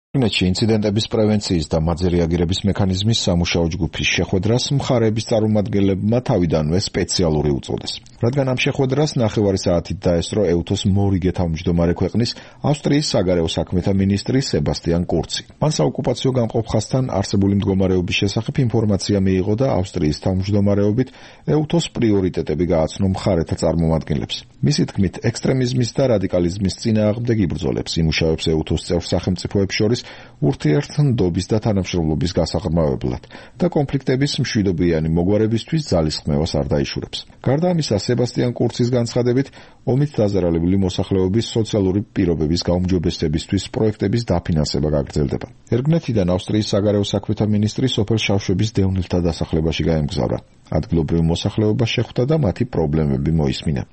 რეგნეთში ინციდენტების პრევენციის და მათზე რეაგირების მექანიზმის სამუშაო ჯგუფის შეხვედრას მხარეების წარმომადგენლებმა თავიდანვე სპეციალური უწოდეს. რადგან ამ შეხვედრას ნახევარი საათით დაესწრო EUTOS მორიგე თავმჯდომარე ქვეყნის ავსტრიის საგარეო საქმეთა მინისტრი სებასტიან კურცი. მან საოკუპაციო გამყოფ ხაზთან არსებული მდგომარეობის შესახებ ინფორმაცია მიიღო და ავსტრიის თავმჯდომარეობით EUTOS პრიორიტეტები გააცნო მხარეთა წარმომადგენლებს. მისი თქმით, ექსტრემიზმის და რადიკალიზმის წინააღმდეგ იბრძოლებს იმუშავებს EUTOS წევრ სახელმწიფოებს შორის ურთიერთდობის და თანამშრომლობის გასაღრმავებლად და კონფლიქტების მშვიდობიანი მოგვარებისთვის ძალისხმევას არ დაიშურებს. გარდა ამისა, სებასტიან კურცის განცხადებით, ომით დაზარალებული მოსახლეობის სოციალური პირობების გაუმჯობესებისთვის პროექტების დაფინანსება გაგრძელდება. ერგნეთიდან ავსტრიის საგარეო საქმეთა მინისტრი სოფელ შავშების დევნილთა დასახლებაში გაემგზავრა. ადგილობრივ მოსახლეობას შეხვდა და მათი პრობლემები მოისმინა.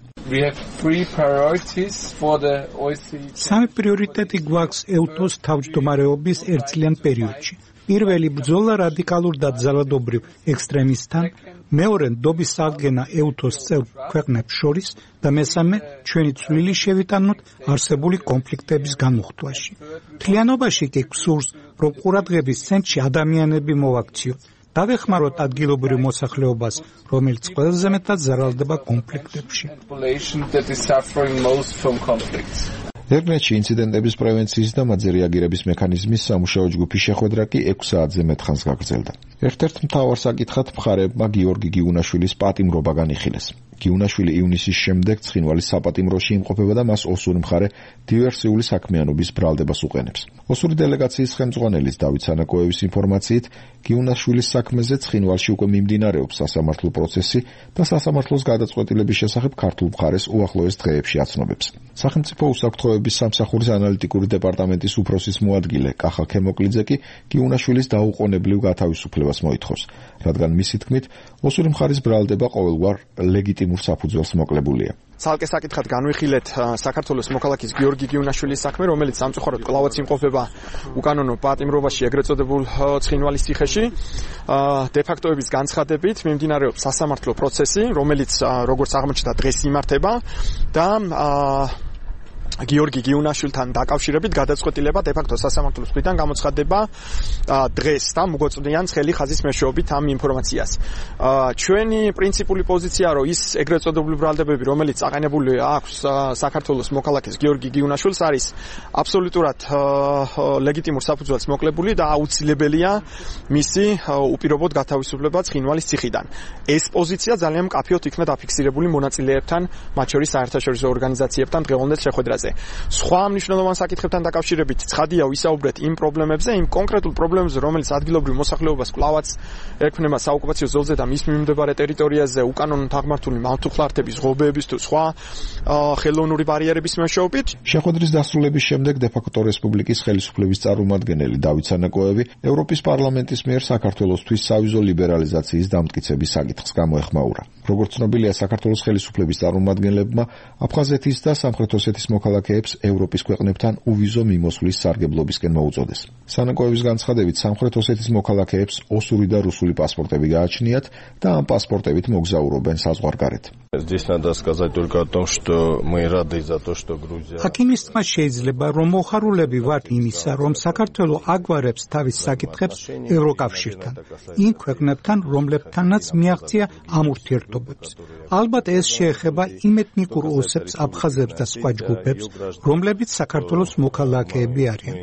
სამი პრიორიტეტი გვაქვს EUTOS თავმჯდომარეობის ერთწლიან პერიოდში. პირველი ბრძოლა რადიკალურ და ძალადობრივ ექსტრემისტთან, მეორე ნდობის აღდგენა EUTOS წევრ ქვეყნებს შორის და მესამე ჩვენი წვლილი შევიტანოთ არსებული კონფლიქტების განმუხტვაში. მთლიანობაში კი გსურს, რომ ყურადღების ცენტრში ადამიანები მოვაქციოთ. დავეხმაროთ ადგილობრივ მოსახლეობას, რომელიც ყველაზე მეტად ზარალდება კონფლიქტებში. ერგნეთში ინციდენტების პრევენციის და მათზე რეაგირების მექანიზმის სამუშაო ჯგუფის შეხვედრა კი 6 საათზე მეტ ხანს გაგრძელდა. ერთ-ერთ მთავარ საკითხად მხარეებმა გიორგი გიუნაშვილის პატიმრობა განიხილეს. გიუნაშვილი ივნისის შემდეგ ცხინვალის საპატიმროში იმყოფება და მას ოსური მხარე დივერსიული საქმიანობის ბრალდებას უყენებს. ოსური დელეგაციის ხელმძღვანელის დავით სანაკოევის ინფორმაციით, გიუნაშვილის საქმეზე ცხინვალში უკვე მიმდინარეობს სასამართლო პროცესი და სასამართლოს გადაწყვეტილების შესახებ ქართულ მხარეს უახლოეს დღეებში აცნობებს. სახელმწიფო უსაფრთხოების სამსახურის ანალიტიკური დეპარტამენტის უფროსის მოადგილე კახა ქემოკლიძე კი გიუნაშვილის დაუყოვნებლივ გათავისუფლებას მოითხოვს, რადგან მისი თქმით, ოსური მხარის ბრალდება ყოველგვარ ლეგიტიმურ საფუძველს მოკლებულია. ცალკე საკითხად განვიხილეთ საქართველოს მოქალაქის გიორგი გიუნაშვილის საქმე, რომელიც სამწუხაროდ კვლავაც იმყოფება უკანონო პატიმრობაში ეგრეთ წოდებულ ცხინვალის ციხეში. დე-ფაქტოების განცხადებით მიმდინარეობს სასამართლო პროცესი, რომელიც როგორც აღმოჩნდა დღეს იმართება და გიორგი გიუნაშვილთან დაკავშირებით გადაწყვეტილება დე-ფაქტო სასამართლოს მხრიდან გამოცხადდება დღეს და მოგოწმდიან ცხელი ხაზის მეშვეობით ამ ინფორმაციას. ჩვენი პრინციპული პოზიცია, რომ ის ეგრეთ წოდებული ბრალდებები, რომელიც აყენებული აქვს საქართველოს მოქალაქეს გიორგი გიუნაშვილს, არის აბსოლუტურად ლეგიტიმურ საფუძველს მოკლებული და აუცილებელია მისი უპირობოდ გათავისუფლება ცხინვალის ციხიდან. ეს პოზიცია ძალიან მკაფიოდ იქნა დაფიქსირებული მონაწილეებთან, მათ შორის საერთაშორისო ორგანიზაციებთან დღევანდელ შეხვედრაზე. სხვა მნიშვნელოვან საკითხებთან დაკავშირებით ცხადია ვისაუბრეთ იმ პრობლემებზე, იმ კონკრეტულ პრობლემებზე, რომელიც ადგილობრივ მოსახლეობას კვლავაც ექმნება საოკუპაციო ზოლზე და მის მიმდებარე ტერიტორიაზე უკანონოდ აღმართული მავთუხლართების, ღობეების თუ სხვა ხელოვნური ბარიერების მეშვეობით. შეხვედრის დასრულების შემდეგ დე-ფაქტო რესპუბლიკის ხელისუფლების წარმომადგენელი დავით სანაკოევი ევროპის პარლამენტის მიერ საქართველოსთვის სავიზო ლიბერალიზაციის დამტკიცების საკითხს გამოეხმაურა. როგორც ცნობილია, საქართველოს ხელისუფლების წარმომადგენლებმა აფხაზეთის და სამხრეთ ოსეთის მოქალაქეებს ევროპის ქვეყნებთან უვიზო მიმოსვლის სარგებლობისკენ მოუწოდეს. სანაკოევის განცხადებით, სამხრეთ ოსეთის მოქალაქეებს ოსური და რუსული პასპორტები გააჩნიათ და ამ პასპორტებით მოგზაურობენ საზღვარგარეთ. აქ თქმა შეიძლება, რომ მოხარულები ვართ იმისა, რომ საქართველო აგვარებს თავის საკითხებს ევროკავშირთან, იმ ქვეყნებთან, რომლებთანაც მიაღწია ამ ურთიერთობებს. ალბათ ეს შეეხება იმ ეთნიკურ ოსებს, აფხაზებს და სხვა ჯგუფებს, რომლებიც საქართველოს მოქალაქეები არიან.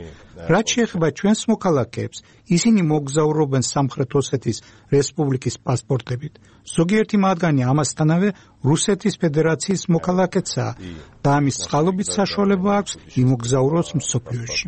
რაც შეეხება ჩვენს მოქალაქეებს, ისინი მოგზაურობენ სამხრეთ ოსეთის რესპუბლიკის პასპორტებით. ზოგიერთი მათგანი ამასთანავე რუსეთის ფედერაციის მოქალაქეცაა და ამის წყალობით საშუალება აქვს იმოგზაუროს მსოფლიოში.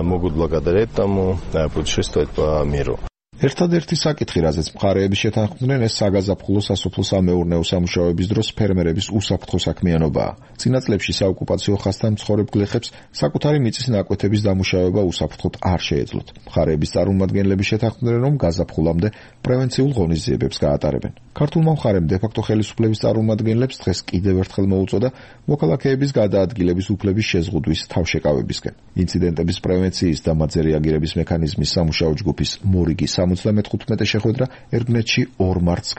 Могут благодарить тому путешествовать по миру. ერთადერთი საკითხი, რაზეც მხარეები შეთანხმდნენ, ეს საგაზაფხულო სასოფლო-სამეურნეო სამუშაოების დროს ფერმერების უსაფრთხო საქმიანობაა. წინა წლებში საოკუპაციო ხაზთან მცხოვრებ გლეხებს საკუთარი მიწის ნაკვეთების დამუშავება უსაფრთხოდ არ შეეძლოთ. მხარეების წარმომადგენლები შეთანხმდნენ, რომ გაზაფხულამდე პრევენციულ ღონისძიებებს გაატარებენ. ქართულმა მხარემ დე-ფაქტო ხელისუფლების წარმომადგენლებს დღეს კიდევ ერთხელ მოუწოდა მოქალაქეების გადაადგილების უფლების შეზღუდვის თავშეკავებისკენ. ინციდენტების პრევენციის და მათზე რეაგირების მექანიზმის სამუშაო ჯგუფის მორიგი 75 შეხვედრა ერგნეთში 2 მარტს